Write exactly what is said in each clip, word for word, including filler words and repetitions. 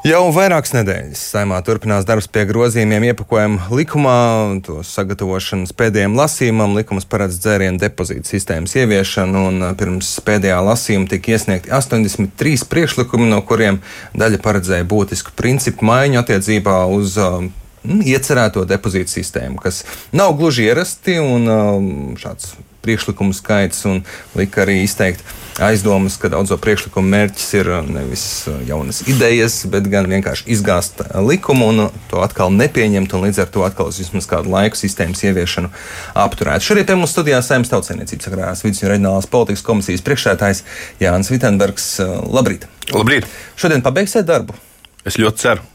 Jau vairākas nedēļas Saeimā turpinās darbs pie grozījumiem iepakojuma likumā, to sagatavošanas pēdējiem lasījumam. Likums paredz dzērienu depozītu sistēmas ieviešanu, un pirms pēdējā lasījuma tika iesniegti astoņdesmit trīs priekšlikumi, no kuriem daļa paredzēja būtisku principu maiņu attiecībā uz uh, iecerēto depozītu sistēmu, kas nav gluži ierasti, un uh, šāds priekšlikumu skaits un lika arī izteikt aizdomas, ka daudzo priekšlikumu mērķis ir nevis jaunas idejas, bet gan vienkārši izgāzt likumu un to atkal nepieņemt, un līdz ar to atkal uz vismaz kādu laiku sistēmas ieviešanu apturēt. Šorīt pie mums studijā Saeimas Tautsaimniecības agrārās vides un reģionālās politikas komisijas priekšsēdētājs Jānis Vitenbergs. Labrīt! Labrīt! Šodien pabeigsiet darbu? Es ļoti ceru.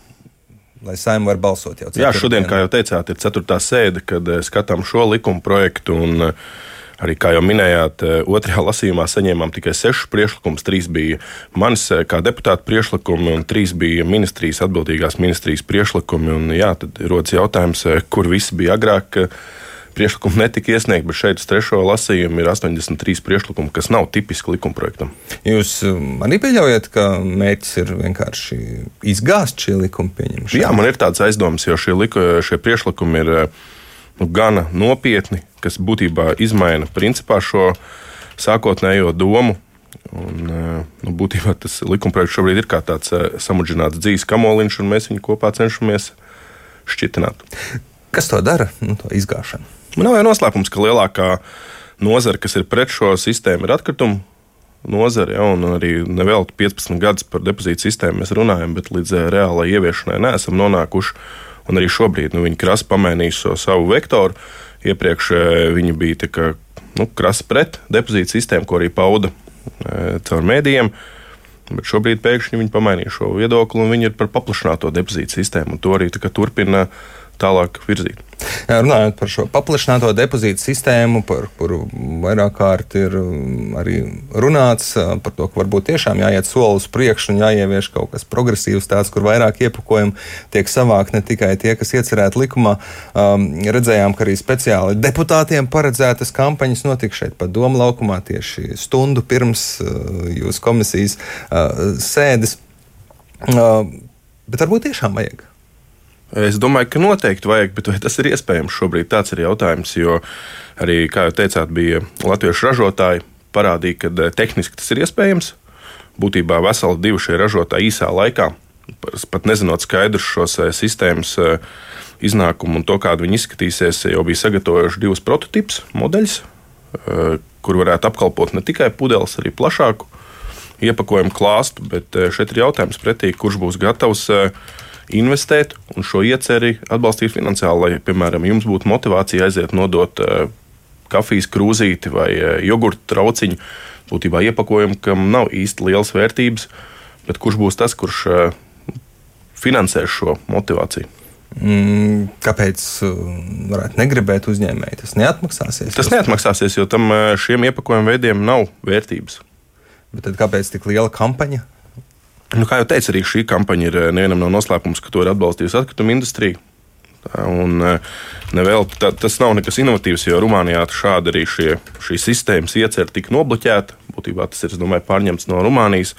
Lai Saeima var balsot jau. Jā, šodien, kā jau teicāt, ir ceturtā sēde, kad skatām šo likuma projektu, un arī, kā jau minējāt, otrajā lasījumā saņēmām tikai sešus priekšlikumus. Trīs bija manis kā deputāta priekšlikumi, un trīs bija ministrijas, atbildīgās ministrijas priekšlikumi. Un, jā, tad rodas jautājums, kur visi bija agrāk. Priekšlikumi netika iesniegti, bet šeit uz trešo lasījumu ir astoņdesmit trīs priekšlikumi, kas nav tipiski likumprojektam. Jūs arī pieļaujat, ka mērķis ir vienkārši izgāzt šī likuma pieņemšanu? Jā, man ir tāds aizdoms, jo šie, liku, šie priekšlikumi ir nu, gana nopietni, kas būtībā izmaina principā šo sākotnējo domu. Un, nu, būtībā tas likumprojekts šobrīd ir kā tāds samudžināts dzīves kamoliņš, un mēs viņu kopā cenšamies šķitināt. Kas to dara, nu, to izgāšanu? Man nav jau noslēpums, ka lielākā nozara, kas ir pret šo sistēmu, ir atkritumu nozare, ja, un arī nevēl piecpadsmit gadus par depozītu sistēmu mēs runājam, bet līdz reālai ieviešanai neesam nonākuši. Un arī šobrīd nu, viņi krasi pamainījuši so savu vektoru. Iepriekš viņi bija tā kā, nu, krasi pret depozītu sistēmu, ko arī pauda e, caur mēdījiem. Bet šobrīd pēkšņi viņi pamainīja šo viedokli, un viņi ir par paplašināto depozītu sistēmu. Un to arī tā kā turpina tālāk virzīt. Jā, runājot par šo paplašināto depozītu sistēmu, par kuru vairāk kārt ir arī runāts, par to, ka varbūt tiešām jāiet soli uz priekšu un jāievieš kaut kas progresīvs, tāds, kur vairāk iepakojumu tiek savākt ne tikai tie, kas iecerēti likumā. Um, redzējām, ka arī speciāli deputātiem paredzētas kampaņas notika šeit pat Doma laukumā tieši stundu pirms uh, jūsu komisijas uh, sēdes. Uh, bet varbūt tiešām vajag. Es domāju, ka noteikti vajag, bet vai tas ir iespējams šobrīd? Tāds ir jautājums, jo arī, kā jau teicāt, bija latviešu ražotāji parādīja, ka tehniski tas ir iespējams. Būtībā veseli divi šie ražotāji īsā laikā, pat nezinot skaidrs šos sistēmas iznākumu un to, kādu viņi izskatīsies, jau bija sagatavojuši divus prototipus, modeļus, kur varētu apkalpot ne tikai pudeles, arī plašāku iepakojumu klāstu, bet šeit ir jautājums pretī, kurš būs gatavs investēt un šo ieceri atbalstīt finansiāli, lai, piemēram, jums būtu motivācija aiziet nodot uh, kafijas krūzīti vai uh, jogurtu trauciņu, būtībā iepakojumu, kam nav īsti lielas vērtības, bet kurš būs tas, kurš uh, finansēs šo motivāciju. Mm, kāpēc varētu negribēt uzņēmēji? Tas neatmaksāsies? Tas neatmaksāsies, jo tam uh, šiem iepakojumu veidiem nav vērtības. Bet tad kāpēc tik liela kampaņa? Nu, kā jau teicu, arī šī kampaņa ir nevienam nav noslēpums, ka to ir atbalstījusi atkrituma industrija. Un, nevēl, tā, tas nav nekas inovatīvs, jo Rumānijā šādi arī šie, šī sistēmas iecer tika nobloķēta. Būtībā tas ir, es domāju, pārņemts no Rumānijas.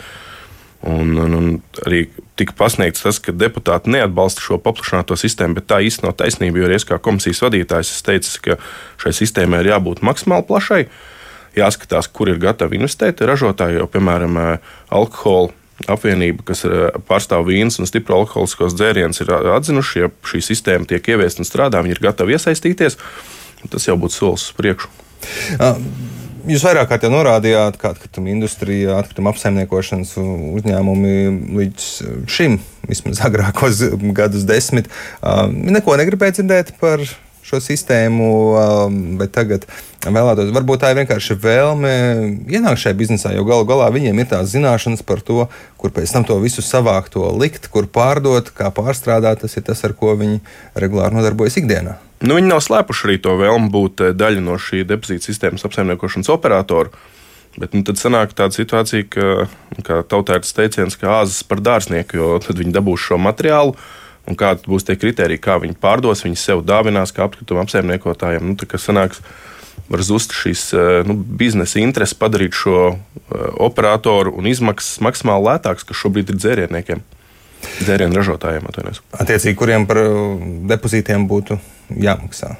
Un, un, un arī tika pasniegts tas, ka deputāti neatbalsta šo paplašināto sistēmu, bet tā īsti nav taisnība, jo es kā komisijas vadītājs es teicu, ka šai sistēmai ir jābūt maksimāli plašai. Jāskatās, kur ir gatavi investēt. Ražotāji jau, piemēram, alkohola apvienība, kas pārstāv vīnas un stipru alkoholiskos dzērienus, ir atzinuši, ja šī sistēma tiek ieviesta un strādā, viņi ir gatavi iesaistīties. Tas jau būtu solis uz priekšu. Jūs vairāk kārt jau norādījāt, ka atkrituma industrija, atkrituma apsaimniekošanas uzņēmumi līdz šim, vismaz agrākos gadus desmit, neko negribēja dzirdēt par šo sistēmu, bet tagad vēlētos, varbūt tā ir vienkārši vēlme ienākt šajā biznesā, jo galu galā viņiem ir tās zināšanas par to, kur pēc tam to visu savākt, to likt, kur pārdot, kā pārstrādāt, tas ir tas, ar ko viņi regulāri nodarbojas ikdienā. Nu, viņi nav slēpuši arī to vēlmu būt daļa no šī depozīta sistēmas apsaimniekošanas operatoru, bet nu, tad sanāk tāda situācija, ka, kā tautērtas teiciens, ka āzas par dārznieku, jo tad viņi dabūs šo materiālu, un kādi būs tie kriteriji, kā viņi pārdos, viņi sev dāvinās kā apskrituma apsaimniekotājiem. Nu, tā kā sanāks, var zust šīs nu, biznesa intereses padarīt šo uh, operatoru un izmaksas maksimāli lētākas, kas šobrīd ir dzērienniekiem. dzērienu ražotājiem. Atvainojos. Attiecīgi, kuriem par depozītiem būtu jāmaksā?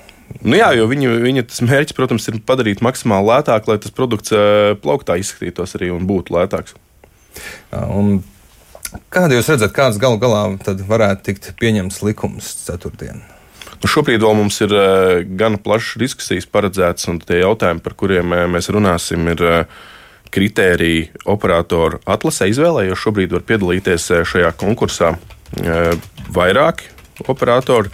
Nu jā, jo viņa, viņa tas mērķis, protams, ir padarīt maksimāli lētāk, lai tas produkts plauktā izskatītos arī un būtu lētāks. Un kādu jūs redzat, kāds galu galā tad varētu tikt pieņemts likums ceturtdien? Nu, šobrīd vēl mums ir gan plašas diskusijas paredzētas, un tie jautājumi, par kuriem mēs runāsim, ir kritēriji operatoru atlasē izvēlē, jo šobrīd var piedalīties šajā konkursā vairāki operatori.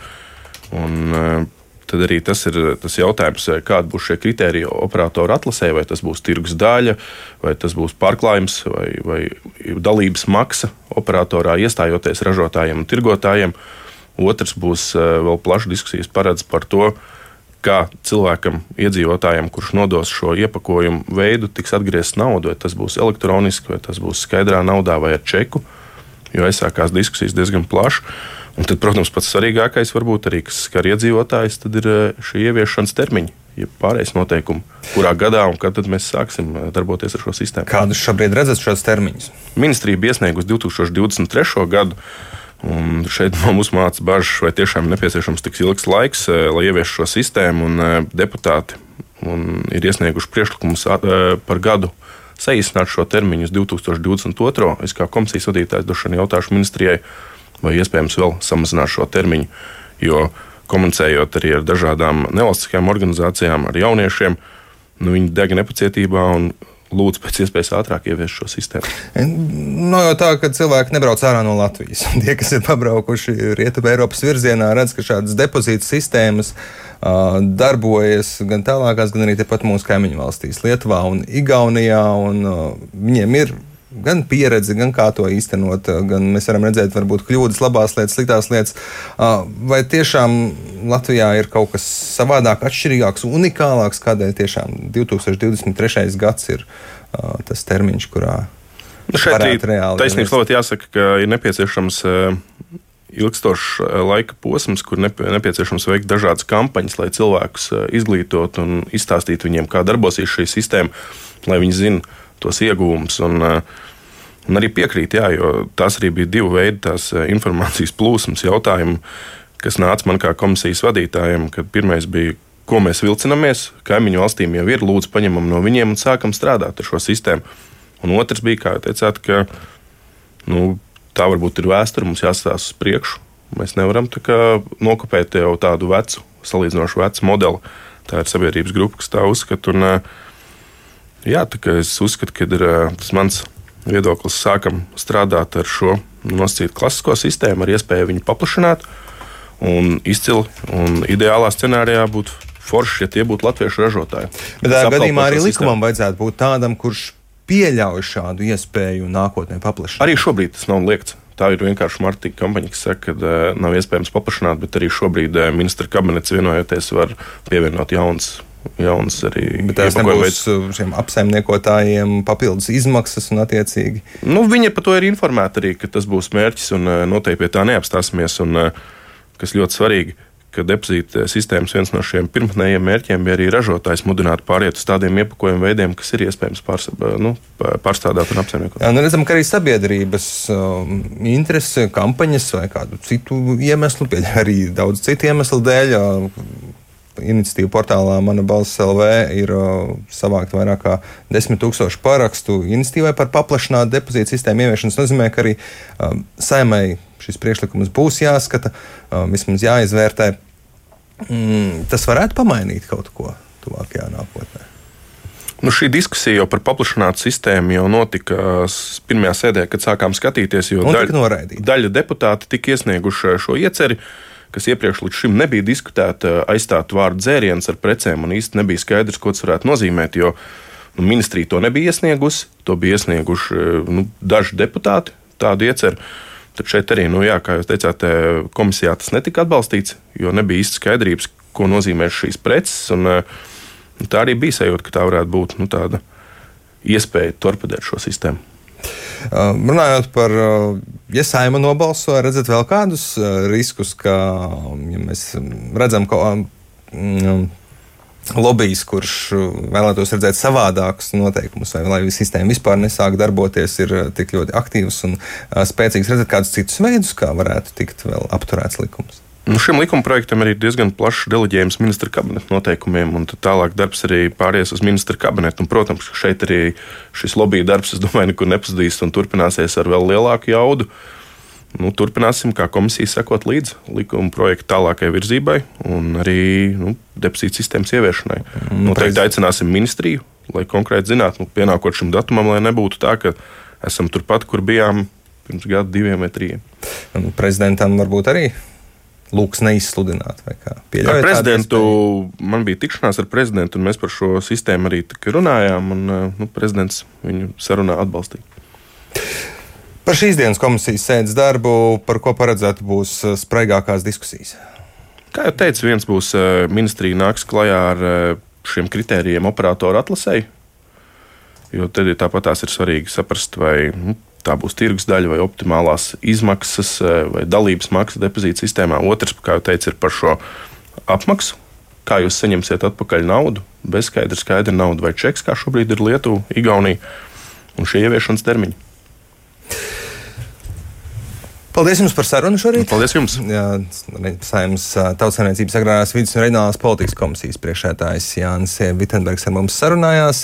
Un tad arī tas ir tas jautājums, kāda būs šie kritēriji operatoru atlasē, vai tas būs tirgus daļa, vai tas būs pārklājums, vai, vai dalības maksa operatorā iestājoties ražotājiem un tirgotājiem. Otrs būs vēl plašas diskusijas paredz par to, kā cilvēkam, iedzīvotājiem, kurš nodos šo iepakojumu veidu, tiks atgriezts naudu, vai tas būs elektroniski, vai tas būs skaidrā naudā vai ar čeku, jo aizsākās diskusijas diezgan plaši. Un tad, protams, pats svarīgākais varbūt arī, kas skar iedzīvotājus, tad ir šī ieviešanas termiņi, ja pārējais noteikumi, kurā gadā un kad tad mēs sāksim darboties ar šo sistēmu. Kādus šobrīd redzat šos termiņus? Ministrija bija iesniegusi divi tūkstoši divdesmit trešo gadu, un šeit mums māca bažas, vai tiešām nepieciešams tik ilgs laiks, lai ieviestu šo sistēmu, un deputāti un ir iesnieguši priekšlikumus par gadu saīsināt šo termiņu uz divi tūkstoši divdesmit otro. Es kā komisijas vadītājs došanu jautāšu ministrijai, vai iespējams vēl samazināt šo termiņu, jo komunicējot arī ar dažādām nevalstiskajām organizācijām, ar jauniešiem, nu, viņi deg nepacietībā un lūdzu pēc iespējas ātrāk ieviest šo sistēmu. No jau tā, ka cilvēki nebrauc ārā no Latvijas. Tie, kas ir pabraukuši Rietumē Eiropas virzienā, redz, ka šādas depozītu sistēmas uh, darbojas gan tālākās, gan arī tepat mūsu kaimiņu valstīs, Lietuvā un Igaunijā, un uh, viņiem ir gan pieredze, gan kā to īstenot, gan mēs varam redzēt, varbūt kļūdas, labās lietas, sliktās lietas. Vai tiešām Latvijā ir kaut kas savādāk, atšķirīgāks, unikālāks, kādēļ tiešām divi tūkstoši divdesmit trešais gads ir uh, tas termiņš, kurā nu šeit reāli taisnības labāk jāsaka, ka ir nepieciešams uh, ilgstošs uh, laika posms, kur nepie, nepieciešams veikt dažādas kampaņas, lai cilvēkus uh, izglītot un izstāstīt viņiem, kā darbosies šī sistēma, lai viņi zina tos ieguvumus. Un, un arī piekrīt, jā, jo tās arī bija divi veidi tās informācijas plūsmas jautājumi, kas nāca man kā komisijas vadītājiem, kad pirmais bija, ko mēs vilcinamies, kaimiņu valstīm jau ir, lūdzu paņemam no viņiem un sākam strādāt ar šo sistēmu. Un otrs bija, kā jau teicāt, ka nu, tā varbūt ir vēsture, mums jāstāsta uz priekšu. Mēs nevaram tā kā nokopēt jau tādu vecu, salīdzinošu vecu modeli. Tā ir sabiedrības grupa, kas tā uzskata. Un, jā, tā kā es uzskatu, ka ir tas mans viedoklis, sākam strādāt ar šo nosacītu klasisko sistēmu, ar iespēju viņu paplašināt un izcili. Un ideālā scenārijā būtu forši, ja tie būtu latviešu ražotāji. Bet tādā gadījumā arī likumam vajadzētu būt tādam, kurš pieļauj šādu iespēju nākotnē paplašināt. Arī šobrīd tas nav liekts. Tā ir vienkārši marketinga kampaņa, kas saka, ka uh, nav iespējams paplašināt, bet arī šobrīd uh, ministra kabinets vienojoties var pievienot jaunas. Jauns arī bet tās nebūs šiem apsaimniekotājiem papildus izmaksas un attiecīgi? Nu, viņi par to ir informēti arī, ka tas būs mērķis un noteikti pie tā neapstāsimies. Un, kas ļoti svarīgi, ka depozīta sistēmas viens no šiem pirmotnējiem mērķiem bija arī ražotājs mudināt pāriet uz tādiem iepakojumu veidiem, kas ir iespējams pārs, nu, pārstrādāt un apsaimniekot. Jā, nu redzam, ka arī sabiedrības um, interese, kampaņas vai kādu citu iemeslu, arī daudz citu iemeslu dēļ, uh, iniciatīva portālā Mana balss L V ir uh, savākt vairāk kā desmit tūkstoši parakstu iniciatīvai par paplašinātu depozītu sistēmu ieviešanu. Tas nozīmē, ka arī uh, Saeimai šis priekšlikums būs jāskata, uh, vismaz jāizvērtē. Mm, tas varētu pamainīt kaut ko tuvākajā nākotnē. Nu, šī diskusija jau par paplašinātu sistēmu jau notika pirmajā sēdē, kad sākām skatīties, jo daļa, daļa deputāti tika iesnieguši šo ieceri, kas iepriekš līdz šim nebija diskutēta, aizstāt vārdu dzēriens ar precēm, un īsti nebija skaidrs, ko tas varētu nozīmēt, jo nu, ministrija to nebija iesniegusi, to bija iesnieguši nu, daži deputāti tādu ieceru. Tad šeit arī, nu, jā, kā jūs teicāt, komisijā tas netika atbalstīts, jo nebija īsti skaidrības, ko nozīmē šīs preces, un tā arī bija sajūta, ka tā varētu būt nu, tāda iespēja torpedēt šo sistēmu. Uh, runājot par, uh, ja Saeima nobalso, redzat vēl kādus uh, riskus, ka, ja mēs redzam, ka um, lobijs, kurš vēlētos redzēt savādākus noteikumus, vai lai sistēma vispār nesāk darboties, ir tik ļoti aktīvs un spēcīgs. Redzēt kādus citus veidus, kā varētu tikt vēl apturēts likums. Nu, šim likuma projektam ir diezgan plašs deleģējums ministra kabineta noteikumiem, un tālāk darbs arī pāries uz ministra kabinetu. Un, protams, ka šeit arī šis lobija darbs, es domāju, nekur nepazudīs un turpināsies ar vēl lielāku jaudu. Nu, turpināsim, kā komisija, sekot līdzi likuma projekta tālākai virzībai un arī nu, depozītu sistēmas ieviešanai. Noteikti aicināsim ministriju, lai konkrēti zinātu, nu, pienākot šim datumam, lai nebūtu tā, ka esam turpat, kur bijām pirms gadu, diviem vai trījiem. Prezidentam varbūt arī lūks neizsludināt, vai kā? Ar prezidentu man bija tikšanās ar prezidentu, un mēs par šo sistēmu arī runājām, un nu, prezidents viņu sarunā atbalstīja. Par šīs dienas komisijas sēdes darbu, par ko paredzētu būs spraigākās diskusijas? Kā jau teicu, viens būs ministrija nāks klajā ar šiem kritērijiem operatoru atlasēji, jo tad ir tāpat tās ir svarīgi saprast, vai nu, tā būs tirgus daļa vai optimālās izmaksas vai dalības maksa depozīta sistēmā. Otrs, kā jau teicu, ir par šo apmaksu. Kā jūs saņemsiet atpakaļ naudu, bez skaidra, skaidra nauda vai čeks, kā šobrīd ir Lietuva, Igaunija un šie ieviešanas termiņi. Paldies jums par sarunu šorīt. Paldies jums. Jā, Saeimas Tautsaimniecības agrārās vides un reģionālās politikas komisijas priekšsēdētājs Jānis Vitenbergs ar mums sarunājās.